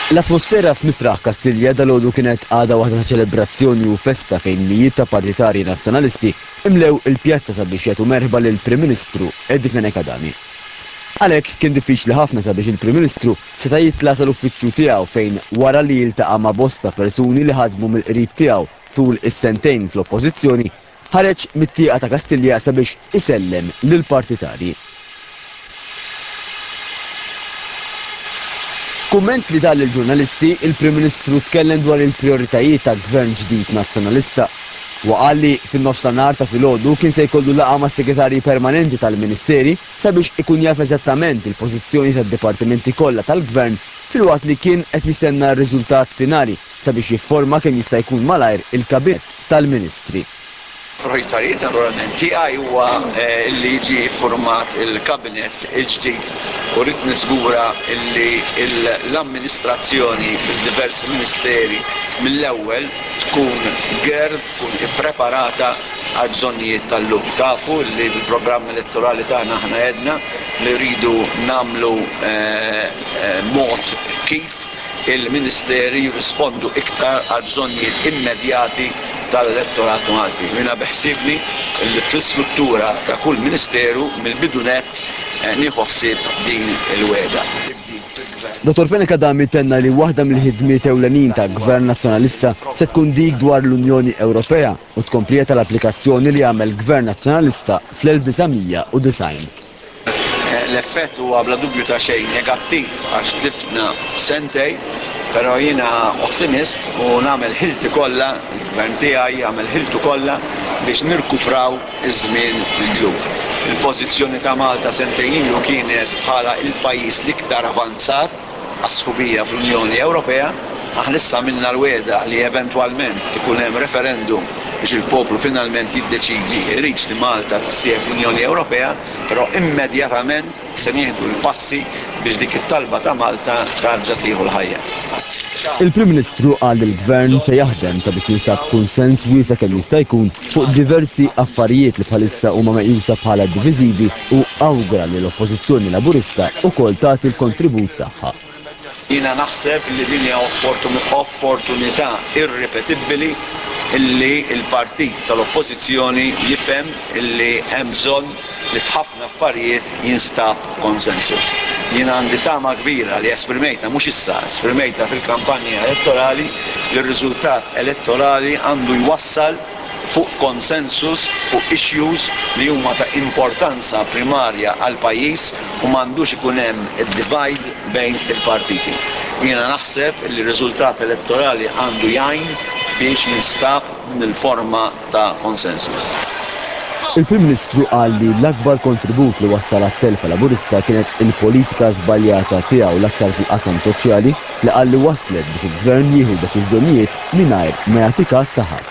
L-atmosfera f'Misraħ Kastilja dalgħodu kienet għadha waħda ta' ċelebrazzjoni u festa fejn mijiet ta' partitarji Nazzjonalisti imlew il-pjazza sabiex jagħtu merħba lill-Prim Ministru Eddie Fenech Adami. Għalhekk kien diffiċli ħafna sabiex il-Prim Ministru seta' jitla' sal-uffiċċju tiegħu fejn wara li jiltaqa' ma' bosta persuni li ħadmu mill-qrib tiegħu tul is-sentejn fl-Oppożizzjoni, ħareġ mit-tieqa ta' Kastilja sabiex isellem lill-partitarji. F'kumment li ta lill-ġurnalisti, il-Prim Ministru tkellem dwar il-prijoritajiet ta' Gvern ġdid Nazzjonalista. Huwa qal li fin-nofs ta' nhar ta' filgħodu kien se jkollu laqgħa mas-Segretarji Permanenti tal-Ministeri sabiex ikun jaf eżattament il-pożizzjoni tad-dipartimenti kollha tal-Gvern filwaqt li kien qed jistenna r-riżultat finali sabiex jifforma kemm jista' jkun malajr il-Kabinett tal-Ministri. Prijoritajiet naturalment tiegħi huwa li jiġi ffurmat il-Kabinett il-ġdid u rrid niżgura li l-amministrazzjoni fid-diversi ministeri mill-ewwel tkun geared, tkun ippreparata għall-bżonnijiet tal-lum. Tafu li fil-programm elettorali tagħna aħna għedna li rridu nagħmlu mod kif il-ministeri jirrispondu iktar għall-bżonnijiet immedjati tal-elettorat Malti. U jiena beħsiebni li fl-istruttura ta' kull ministeru mill-bidu nett nieħu ħsieb din il-wegħda. Dottor Fenech Adami tenna li waħda mill-ħidmiet ewlenin ta' Gvern Nazzjonalista se tkun dik dwar l-Unjoni Ewropea u tkomplija tal-applikazzjoni li għamel Gvern Nazzjonalista fl-1990. L-effett huwa bla dubju ta' xejn negattiv għax tlifna sentejn, però jiena ottimist u nagħmel ħilti kollha, il-Gvern tiegħi jagħmel ħiltu kollha biex nirkupraw iż-żmien mitluf. Il-pożizzjoni ta' Malta sentejn ilu kienet bħala l-pajjiż l-iktar avanzat għas-sħubija fl-Unjoni Ewropea. Aħna issa għamilna l-wegħda li eventwalment ikun hemm referendum biex il-poplu finalment jiddeċiedi jridx li Malta tissieħeb fl-Unjoni Ewropea, però immedjatament se nieħdu l-passi biex dik it-talba ta' Malta tarġa' tieħu l-ħajja. Il-Prim Ministru qal li l-Gvern se jaħdem sabiex jinstab kunsens wiesa' kemm jista' jkun fuq diversi affarijiet li bħalissa huma meqjusa bħala diviżivi u awgura li l-Oppożizzjoni Laburista wkoll tagħti l-kontribut tagħha. Jiena naħseb li din hija opportunità irripetibbili li l-partit tal-Oppożizzjoni jifhem li hemm bżonn li f'ħafna affarijiet jinstab konsensus. Jiena għandi tama kbira li esprimejtha mhux issa, esprimejtha fil-kampanja elettorali li r-riżultat elettorali għandu jwassal fuq consensus fuq issues li huma ta' importanza primarja għall-pajjiż u m'għandux ikun hemm id-divide bejn il-partiti. Jiena naħseb li r-riżultat elettorali għandu jgħin biex jinstab din il-forma ta' consensus. Il-Prim Ministru qal li l-akbar kontribut li wassal għat-telfa Laburista kienet il-politika żbaljata tiegħu l-aktar fil-qasam soċjali li qal li wasslet biex il-Gvern jieħu deċiżjonijiet mingħajr ma jagħti kas ta' ħadd.